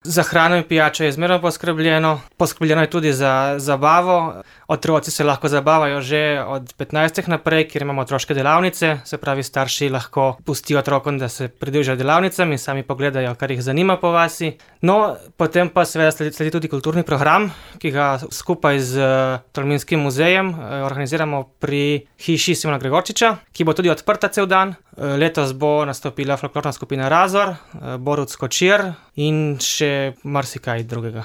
Za hrano in pijačo je zmerno poskrbljeno. Poskrbljeno je tudi za zabavo. Otroci se lahko zabavajo že od 15 naprej, kjer imamo otroške delavnice. Se pravi, starši lahko pustijo otrokom, da se pridružijo delavnicam in sami pogledajo, kar jih zanima po vasi. No, potem pa seveda sledi tudi kulturni program, ki ga skupaj z Tolminskim muzejem organiziramo pri hiši Simona Gregorčiča, ki bo tudi odprta cel dan. Letos bo nastopila folklorna skupina Razor, Borut Skočir in še marsikaj drugega.